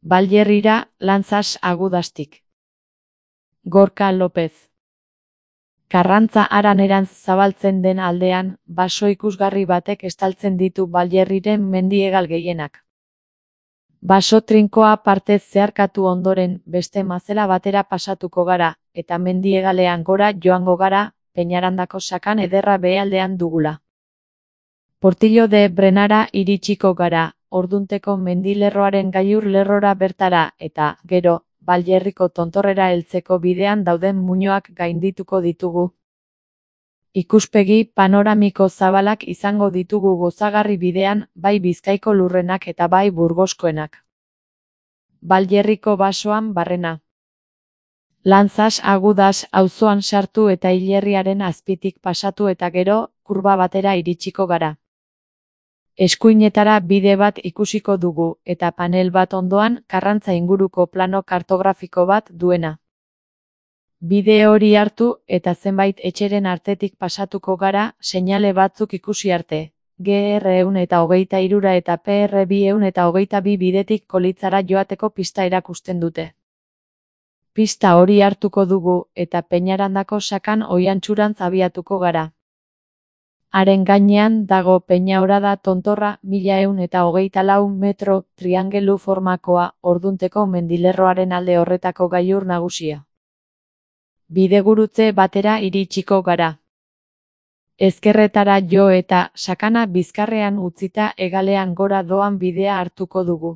Balyerrira, Lanzas agudastik. Gorka López. Karrantza haranerantz zabaltzen den aldean, baso ikusgarri batek estaltzen ditu Balyerriren mendiegal gehienak. Baso trinkoa partez zeharkatu ondoren, beste mazela batera pasatuko gara, eta mendiegalean gora joango gara, Peñarandako sakan ederra behealdean dugula. Portillo de Brenara iritsiko gara, ordunteko mendilerroaren gailur lerrora bertara, eta, gero, Balyerriko tontorrera heltzeko bidean dauden muinoak gaindituko ditugu. Ikuspegi panoramiko zabalak izango ditugu gozagarri bidean, bai Bizkaiko lurrenak eta bai Burgoskoenak. Balyerriko basoan barrena. Lanzas agudas auzoan sartu eta hilerriaren azpitik pasatu eta gero, kurba batera iritsiko gara. Eskuinetara bide bat ikusiko dugu, eta panel bat ondoan, Karrantza inguruko plano kartografiko bat duena. Bide hori hartu, eta zenbait etxeren artetik pasatuko gara, seinale batzuk ikusi arte. GR 123 eta PR 222 bidetik Kolitzara joateko pista erakusten dute. Pista hori hartuko dugu, eta Peñarandako sakan oihantxurantz abiatuko gara. Haren gainean dago Peñaorada tontorra 1124 metro triangelu formakoa, ordunteko mendilerroaren alde horretako gailur nagusia. Bidegurutze batera iritsiko gara. Ezkerretara jo eta sakana bizkarrean utzita hegalean gora doan bidea hartuko dugu.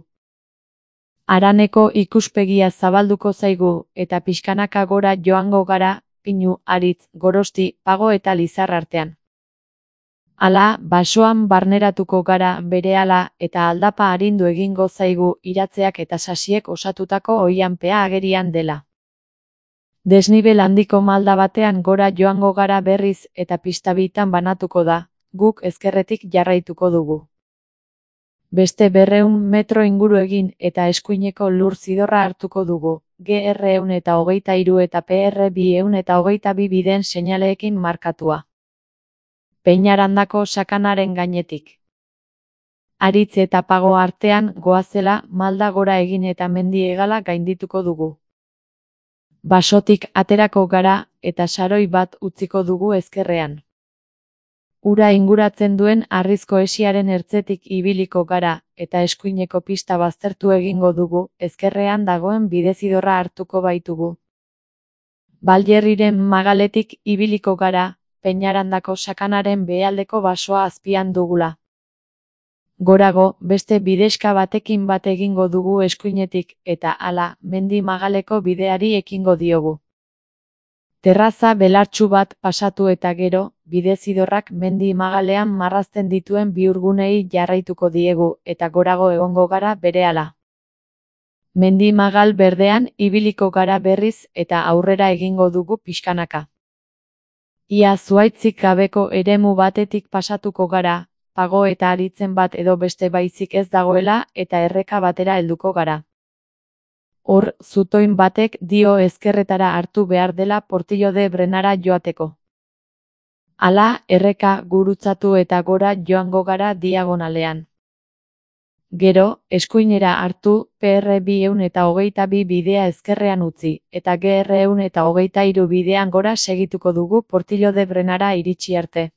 Haraneko ikuspegia zabalduko zaigu, eta pixkanaka gora joango gara, Pinu, Aritz, Gorosti, Pago eta Lizar artean. Hala, basoan barneratuko gara berehala eta aldapa arindu egingo zaigu iratzeak eta sasiek osatutako oihanpea agerian dela. Desnibel handiko malda batean gora joango gara berriz eta pista bitan banatuko da, guk ezkerretik jarraituko dugu. Beste 200 metro inguru egin eta eskuineko lur zidorra hartuko dugu, GR 123 eta PR 222 bideen seinaleekin markatua. Peñarandako sakanaren gainetik. Aritz eta Pago artean goazela malda gora egin eta mendiegala gaindituko dugu. Basotik aterako gara eta saroi bat utziko dugu ezkerrean. Ura inguratzen duen harrizko hesiaren ertzetik ibiliko gara eta eskuineko pista baztertu egingo dugu, ezkerrean dagoen bidezidorra hartuko baitugu. Balyerriren magaletik ibiliko gara, Peñarandako sakanaren behealdeko basoa azpian dugula. Gorago, beste bidexka batekin bat egingo dugu eskuinetik, eta hala, mendi magaleko bideari ekingo diogu. Terraza belartsu bat pasatu eta gero, bidezidorrak mendi magalean marrazten dituen bihurgunei jarraituko diegu, eta gorago egongo gara berehala. Mendi magal berdean ibiliko gara berriz eta aurrera egingo dugu pixkanaka. Ia zuhaitzik gabeko eremu batetik pasatuko gara, Pago eta Aritzen bat edo beste baizik ez dagoela eta erreka batera helduko gara. Hor, zutoin batek dio ezkerretara hartu behar dela Portillo de Brenara joateko. Hala, erreka gurutzatu eta gora joango gara diagonalean. Gero, eskuinera hartu, PR 222 bidea ezkerrean utzi, eta GR 123 bidean gora segituko dugu Portillo de Brenara iritsi arte.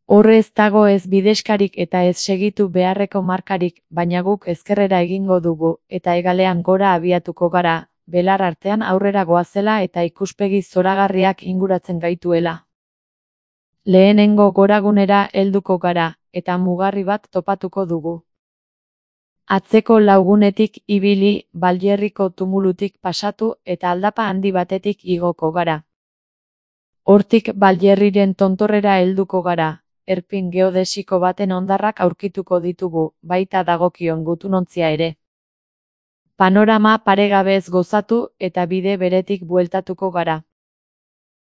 Horrez dago ez bidexkarik eta ez segitu beharreko markarik, baina guk ezkerrera egingo dugu, eta hegalean gora abiatuko gara, belar artean aurrera goazela eta ikuspegi zoragarriak inguratzen gaituela. Lehenengo goragunera helduko gara, eta mugarri bat topatuko dugu. Atzeko laugunetik ibili, Balyerriko tumulutik pasatu eta aldapa handi batetik igoko gara. Hortik Balyerriren tontorrera helduko gara, erpin geodesiko baten hondarrak aurkituko ditugu, baita dagokion gutunontzia ere. Panorama paregabez gozatu eta bide beretik bueltatuko gara.